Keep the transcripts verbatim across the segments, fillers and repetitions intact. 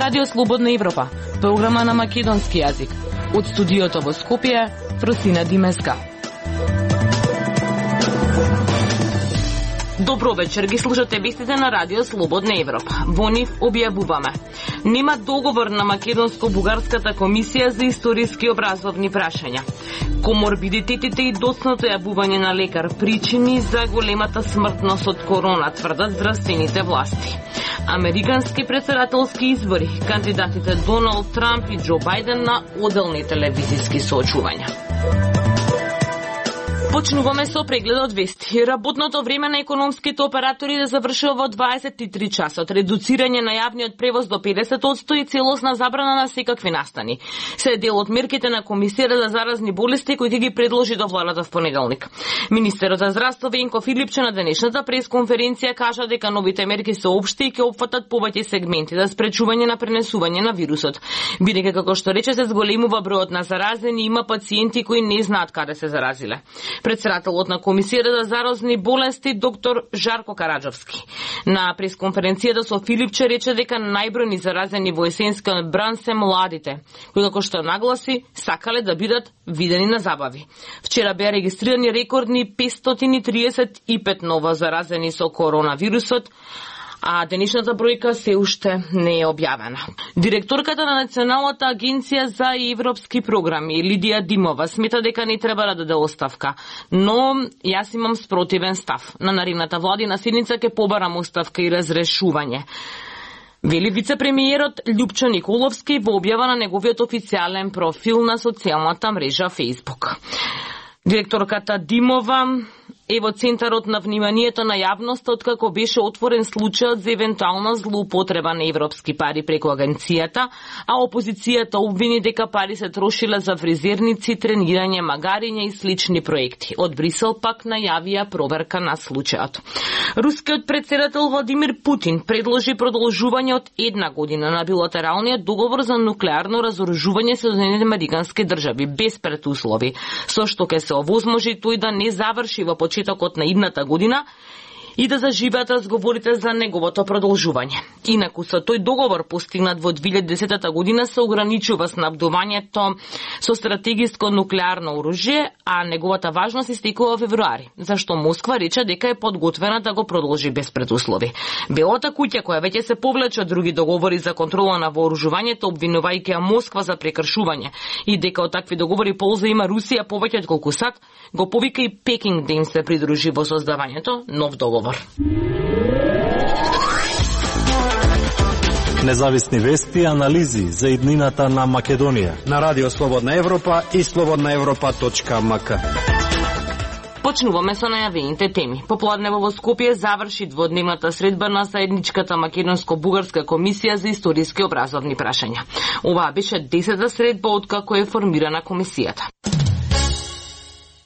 Радио Слободна Европа, програма на македонски јазик. Од студиото во Скопје, Просина Димеска. Добро вечер, ги слушате вестите на Радио Слободна Европа. Во нив објавуваме: нема договор на Македонско-бугарската комисија за историски образовни прашања. Коморбидитетите и доцното јавување на лекар причини за големата смртност од корона, тврдат здравствените власти. Американски претседателски избори, кандидатите Доналд Трамп и Џо Бајден на оделни телевизиски соочувања. Почнуваме со прегледот вести. Работното време на економските оператори да завршува во дваесет и три часот, редуцирање на јавниот превоз до педесет одсто и целосна забрана на секакви настани. Се дел од мерките на Комисијата за заразни болести кои ќе ги предложи до владата в понеделник. Министерот за здравство Венко Филипче на денешната пресконференција кажа дека новите мерки се општи и ќе опфатат повеќе сегменти за спречување на пренесување на вирусот. Бидејќи, како што рече, се зголемува бројот на заразени, има пациенти кои не знаат каде се заразиле. Председателот на Комисијата за заразни болести доктор Жарко Караџовски на пресконференцијата со Филипче рече дека најбројни заразени во есенскиот бран се младите, кои, како што нагласи, сакале да бидат видени на забави. Вчера беа регистрирани рекордни петстотини и триесет и пет ново заразени со коронавирусот, а денешната бројка се уште не е објавена. Директорката на Националната агенција за европски програми Лидија Димова смета дека не треба да даде оставка, но јас имам спротивен став. На наредната владина седница ќе побарам оставка и разрешување, вели вице-премиерот Љупчо Николовски во објава на неговиот официјален профил на социјалната мрежа Facebook. Директорката Димова е во центарот на вниманието на јавноста откако беше отворен случајот за евентуална злоупотреба на европски пари преку агенцијата, а опозицијата обвини дека пари се трошиле за фризерници, тренирање, магариња и слични проекти. Од Брисел пак најавија проверка на случајот. Рускиот претседател Владимир Путин предложи продолжување од една година на билатералниот договор за нуклеарно разоружување со Соединетите американски држави без предуслови, со што ќе се овозможи тој да не заврши во почетокот на идната година и да заживеат разговорите за неговото продолжување. Инаку со тој договор постигнат во две илјади и десета година се ограничува снабдувањето со стратегиско нуклеарно оружје, а неговата важност истекува во февруари, зашто Москва рече дека е подготвена да го продолжи без предуслови. Белата куќа, која веќе се повлече од други договори за контрола на вооружувањето, обвинувајќи ја Москва за прекршување и дека од такви договори полза има Русија повеќе од колку САД, го повика и Пекинг да им се придружи во создавањето нов договор. Независни вести и анализи за иднината на Македонија на Радио Слободна Европа и слободна европа точка ем ка. Почнуваме со најавените теми. Попладнево во Скопје заврши дводневната средба на заедничката Македонско-бугарска комисија за историски образовни прашања. Оваа беше десета средба откако е формирана комисијата.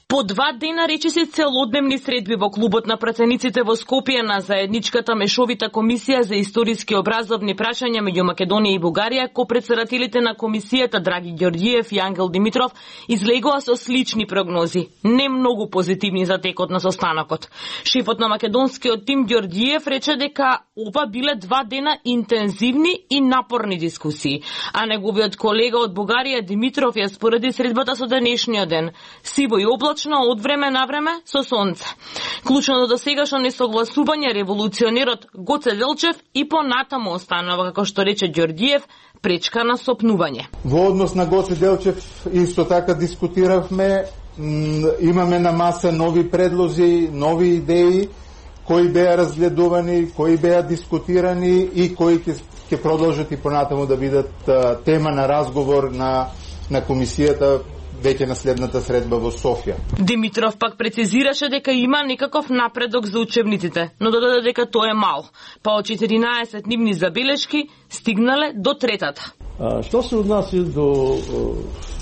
По два дена речиси целодневни средби во клубот на працениците во Скопје на заедничката мешовита комисија за историски образовни прашања меѓу Македонија и Бугарија, ко-председателите на комисијата Драги Ѓорѓиев и Ангел Димитров излегоа со слични прогнози, не многу позитивни за текот на состанокот. Шефот на македонскиот тим Ѓорѓиев рече дека ова биле два дена интензивни и напорни дискусии, а неговиот колега од Бугарија Димитров ја спореди средбата со денешниот ден, сиво и облачно од време на време со сонце. Клучното до сегашно несогласување револуционерот Гоце Делчев и понатаму останува, како што рече Ѓорѓиев, пречка на сопнување. Во однос на Гоце Делчев исто така дискутиравме, имаме на маса нови предлози, нови идеи кои беа разгледувани, кои беа дискутирани и кои ќе ќе продолжат и понатаму да бидат тема на разговор на на комисијата веќе на следната средба во Софија. Димитров пак прецизираше дека има некаков напредок за учебниците, но додаде дека тоа е мал, па од четиринаесет нивни забелешки стигнале до третата. А, што се однася до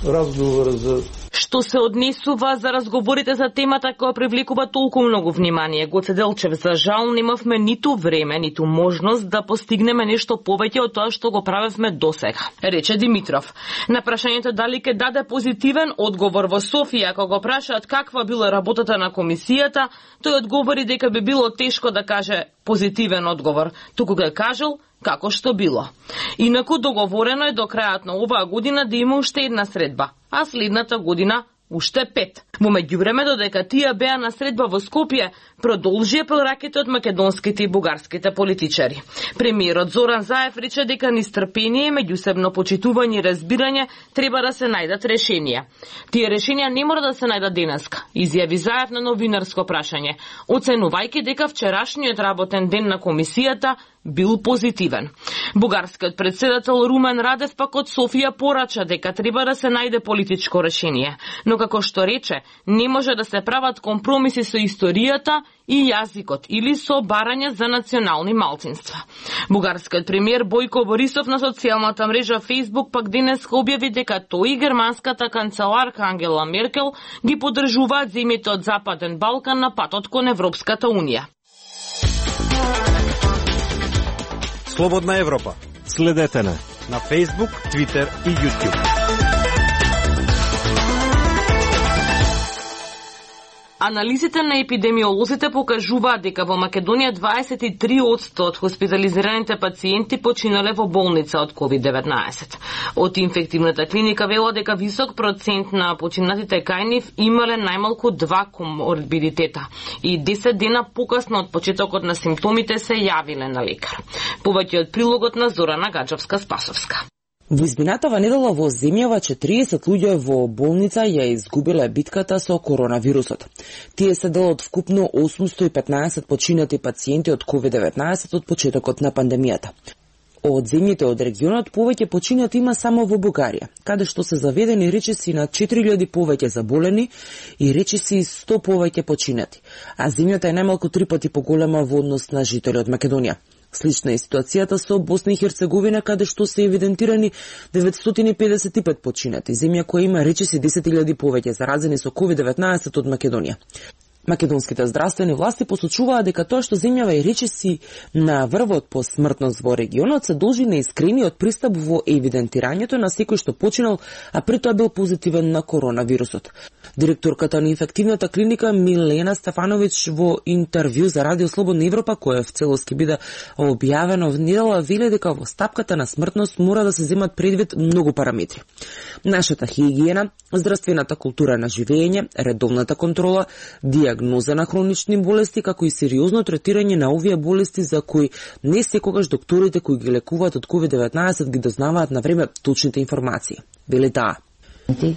разговора за Што се однесува за разговорите за темата која привлекува толку многу внимание, Гоце Делчев, за жал немавме ниту време, ниту можност да постигнеме нешто повеќе од тоа што го правевме досега, рече Димитров. На прашањето дали ќе даде позитивен одговор во Софија, кога го прашаат каква била работата на комисијата, тој одговори дека би било тешко да каже позитивен одговор, туку го кажал како што било. Инаку договорено е до крајот на оваа година да има уште една средба, а следната година уште пет. Во меѓувреме, додека тие беа на средба во Скопје, продолжија прораките од македонските и бугарските политичари. Премиерот Зоран Заев рече дека низ трпение, меѓусебно почитување и разбирање треба да се најдат решенија. Тие решенија не мора да се најдат денеска, изјави Заев на новинарско прашање, оценувајќи дека вчерашниот работен ден на комисијата бил позитивен. Бугарскиот председател Румен Радев пак од Софија порача дека треба да се најде политичко решение, но како што рече, не може да се прават компромиси со историјата и јазикот или со барање за национални малцинства. Бугарскиот премиер Бојко Борисов на социјалната мрежа Facebook пак денес објави дека тој и германската канцеларка Ангела Меркел ги поддржуваат земјите од Западен Балкан на патот кон Европската унија. Слободна Европа. Следете не на Facebook, Twitter и YouTube. Анализите на епидемиолозите покажуваат дека во Македонија дваесет и три одсто од хоспитализираните пациенти починале во болница од ковид деветнаесет. Од инфективната клиника вела дека висок процент на починатите кај нив имале најмалку два коморбидитета и десет дена покасно од почетокот на симптомите се јавиле на лекар. Повеќе од прилогот на Зорана Гаджовска-Спасовска. Во изминатава недела во земјава четириесет луѓе во болница ја изгубиле битката со коронавирусот. Тие се дел од вкупно осумсто и петнаесет починати пациенти од ковид деветнаесет од почетокот на пандемијата. Од земјите од регионот повеќе починати има само во Бугарија, каде што се заведени речиси на четири илјади повеќе заболени и речиси сто повеќе починати, а земјата е најмалку три пати поголема во однос на жители од Македонија. Слична е ситуацијата со Босна и Херцеговина, каде што се евидентирани деветстотини и педесет и пет починати, земја која има речиси десет илјади повеќе заразени со ковид деветнаесет од Македонија. Македонските здравствени власти посочуваат дека тоа што земјава и речиси на врвот по смртност во регионот се должи на искрениот пристап во евидентирањето на секој што починал, а при тоа бил позитивен на коронавирусот. Директорката на инфективната клиника Милена Стефановиќ во интервју за Радио Слободна Европа, која в целост ќе биде објавено в недела, вели дека во стапката на смртност мора да се земат предвид многу параметри. Нашата хигиена, здравствената култура на живење, редовната контрола, диагноза на хронични болести, како и сериозно третирање на овие болести за кои не секогаш докторите кои ги лекуваат од ковид деветнаесет ги дознаваат на време точните информации. Вели таа.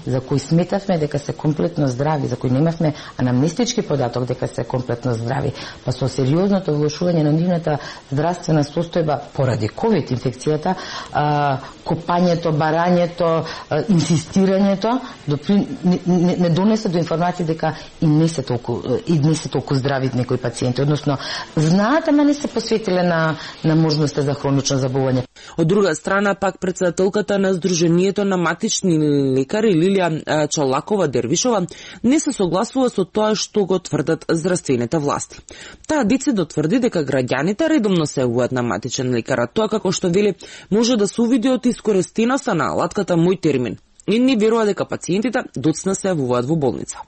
За кои сметавме дека се комплетно здрави, за кои немавме анамнестички податок дека се комплетно здрави, па со сериозното влошување на нивната здравствена состојба поради ковид инфекцијата, а, копањето, барањето, а, инсистирањето допри, не, не, не донесе до информација дека и не се толку и не се толку здрави некои пациенти, односно знаат, ама не се посветиле на на можноста за хронично заболување. Од друга страна, пак председателката на Сдруженијето на матични лекари Лилија Чалакова Дервишова не се согласува со тоа што го тврдат здравствените власти. Таа децидно тврди дека граѓаните редовно се јавуваат на матичен лекар, а тоа како што вели може да се увиди од искористеноста на алатката Мој термин. И не верува дека пациентите доцна се јавуваат во болница.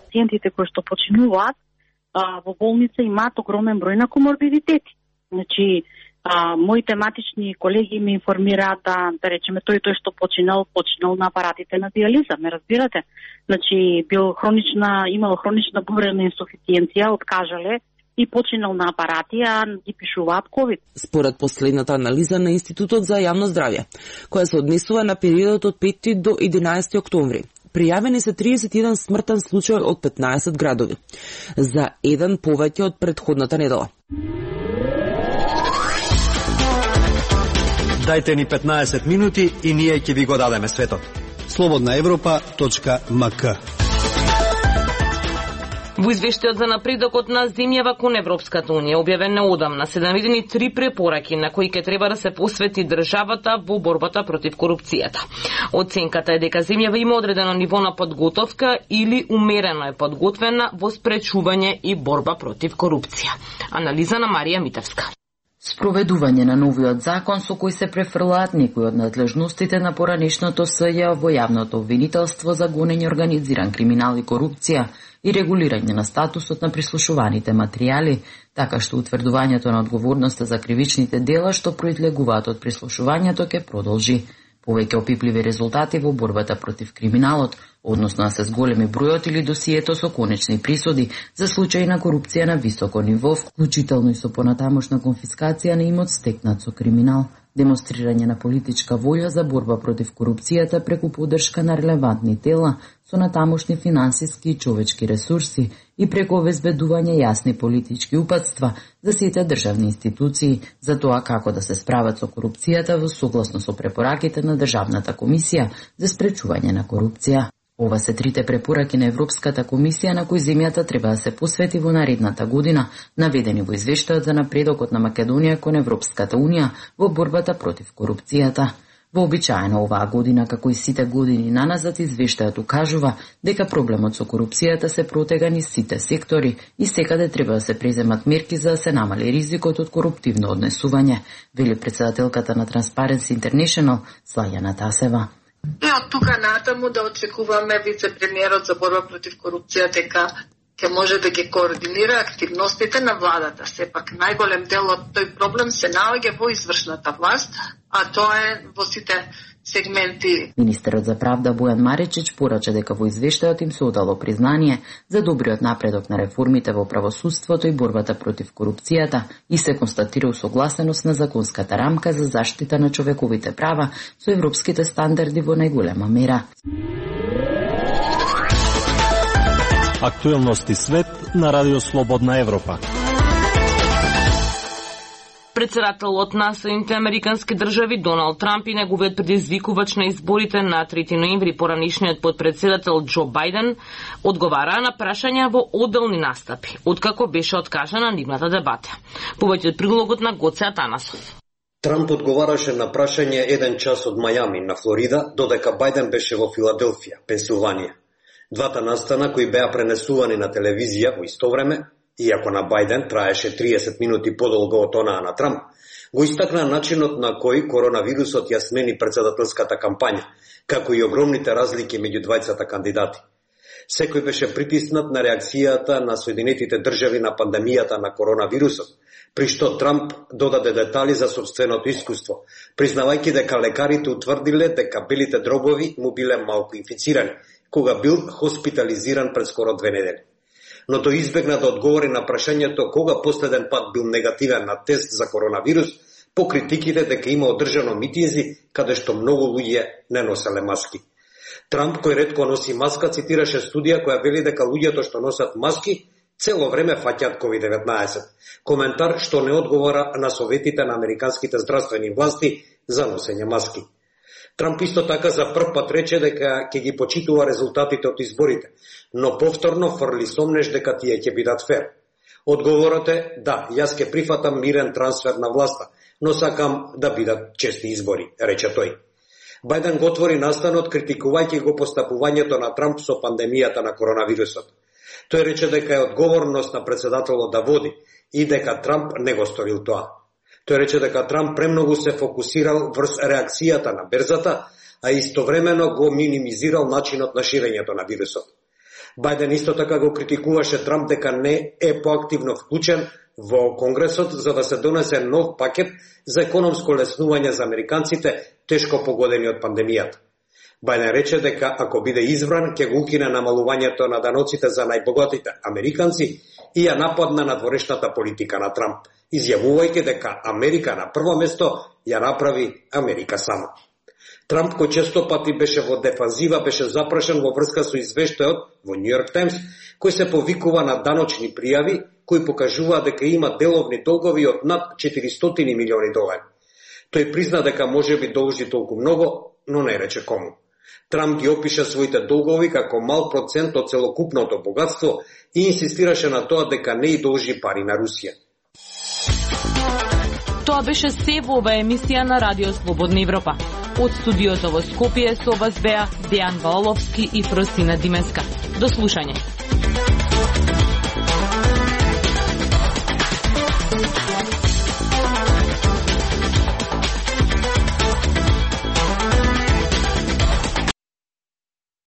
Пациентите кои што починуваат а, во болница имаат огромен број на коморбидитети. Значи, А, моите матични колеги ми информираат да, да речеме, тој тој што починал, починал на апаратите на диализа, ме разбирате? Значи, бил хронична, имал хронична бубревна инсуфициенција, откажале и починал на апарати, а ги пишуваат ковид. Според последната анализа на Институтот за јавно здравје, која се однесува на периодот од пети до единаесети октомври, пријавени се триесет и еден смртен случај од петнаесет градови, за еден повеќе од претходната недела. Дајте ни петнаесет минути и ние ќе ви го дадеме светот. слободна европа точка ем ка. Во извештајот за напредокот на земјава кон Европската унија, објавен неодамна, се наведени три препораки на кои ќе треба да се посвети државата во борбата против корупцијата. Оценката е дека земјава има одредено ниво на подготовка или умерено е подготвена во спречување и борба против корупција. Анализа на Марија Митевска. Спроведување на новиот закон со кој се префрлаат некои од надлежностите на поранешното СЈ во јавното обвинителство за гонење организиран криминал и корупција и регулирање на статусот на прислушуваните материјали, така што утврдувањето на одговорноста за кривичните дела што произлегуваат од прислушувањето ќе продолжи. Повеќе опипливи резултати во борбата против криминалот, односно да се зголеми бројот или досието со конечни присуди за случаи на корупција на високо ниво, вклучително и со понатамошна конфискација на имот стекнат со криминал, демонстрирање на политичка воља за борба против корупцијата преку поддршка на релевантни тела со натамошни финансиски и човечки ресурси и преку обезбедување јасни политички упатства за сите државни институции за тоа како да се справат со корупцијата во согласно со препораките на Државната комисија за спречување на корупција. Ова се трите препораки на Европската комисија на кои земјата треба да се посвети во наредната година, наведени во извештајот за напредокот на Македонија кон Европската унија во борбата против корупцијата. Вообичаено оваа година, како и сите години наназад, извештајот укажува дека проблемот со корупцијата се протега низ сите сектори и секаде треба да се преземат мерки за да се намали ризикот од коруптивно однесување, вели претседателката на Transparency International Слајана Тасева. И од тука натаму да очекуваме вице-премиерот за борба против корупција дека ќе може да ги координира активностите на владата. Сепак најголем дел од тој проблем се наоѓа во извршната власт, а тоа е во сите сегменти. Министерот за правда Бојан Маричич порача дека во извештајот им се одало признание за добриот напредок на реформите во правосудството и борбата против корупцијата и се констатира усогласеност на законската рамка за заштита на човековите права со европските стандарди во најголема мера. Актуелности свет на Радио Слободна Европа. Председателот на Соединетите американски држави Доналд Трамп и неговиот предизвикувач на изборите на трети ноември, поранишниот подпредседател Џо Бајден, одговараа на прашања во одделни настапи, откако беше откажана нивната дебата. Повеќе од прилогот на Гоце Атанасов. Трамп одговараше на прашање еден час од Мајами на Флорида, додека Бајден беше во Филаделфија, Пенсилванија. Двата настана кои беа пренесувани на телевизија во исто време, иако на Бајден траеше триесет минути подолго од онаа на Трамп, го истакна начинот на кој коронавирусот ја смени председателската кампања, како и огромните разлики меѓу двајцата кандидати. Секој беше притиснат на реакцијата на Соединетите држави на пандемијата на коронавирусот, при што Трамп додаде детали за собственото искуство, признавајќи дека лекарите утврдиле дека белите дробови му биле малку инфицирани, кога бил хоспитализиран пред скоро две недели. Но тој избегна да одговори на прашањето кога последен пат бил негативен на тест за коронавирус, по критиките дека има одржано митинзи каде што многу луѓе не носеле маски. Трамп, кој ретко носи маска, цитираше студија која вели дека луѓето што носат маски цело време фаќаат ковид деветнаесет. Коментар што не одговора на советите на американските здравствени власти за носење маски. Трамп исто така за прв пат рече дека ќе ги почитува резултатите од изборите, но повторно фрли сомнеш дека тие ќе бидат фер. Одговорот е да, јас ќе прифатам мирен трансфер на власта, но сакам да бидат чести избори, рече тој. Бајден го отвори настанот критикувајќи го постапувањето на Трамп со пандемијата на коронавирусот. Тој рече дека е одговорност на председателот да води и дека Трамп не го сторил тоа. Тој рече дека Трамп премногу се фокусирал врз реакцијата на берзата, а истовремено го минимизирал начинот на ширењето на вирусот. Бајден исто така го критикуваше Трамп дека не е поактивно вклучен во Конгресот за да се донесе нов пакет за економско леснување за американците тешко погодени од пандемијата. Бајден рече дека ако биде избран, ќе го укине намалувањето на даноците за најбогатите американци и ја нападна надворешната политика на Трамп, изјавувајќи дека Америка на прво место ја направи Америка сама. Трамп, кој често пати беше во дефанзива, беше запрашен во врска со извештајот во Нью Йорк Таймс, кој се повикува на даночни пријави, кои покажуваат дека има деловни долгови од над четиристотини милиони долари. Тој призна дека може би должи толку многу, но не рече кому. Трамп ги опиша своите долгови како мал процент од целокупното богатство и инсистираше на тоа дека не и должи пари на Русија. Тоа беше се во оваа емисија на Радио Слободна Европа. Од студиото во Скопје со вас беа Дејан Валовски и Фросина Димеска. До слушање.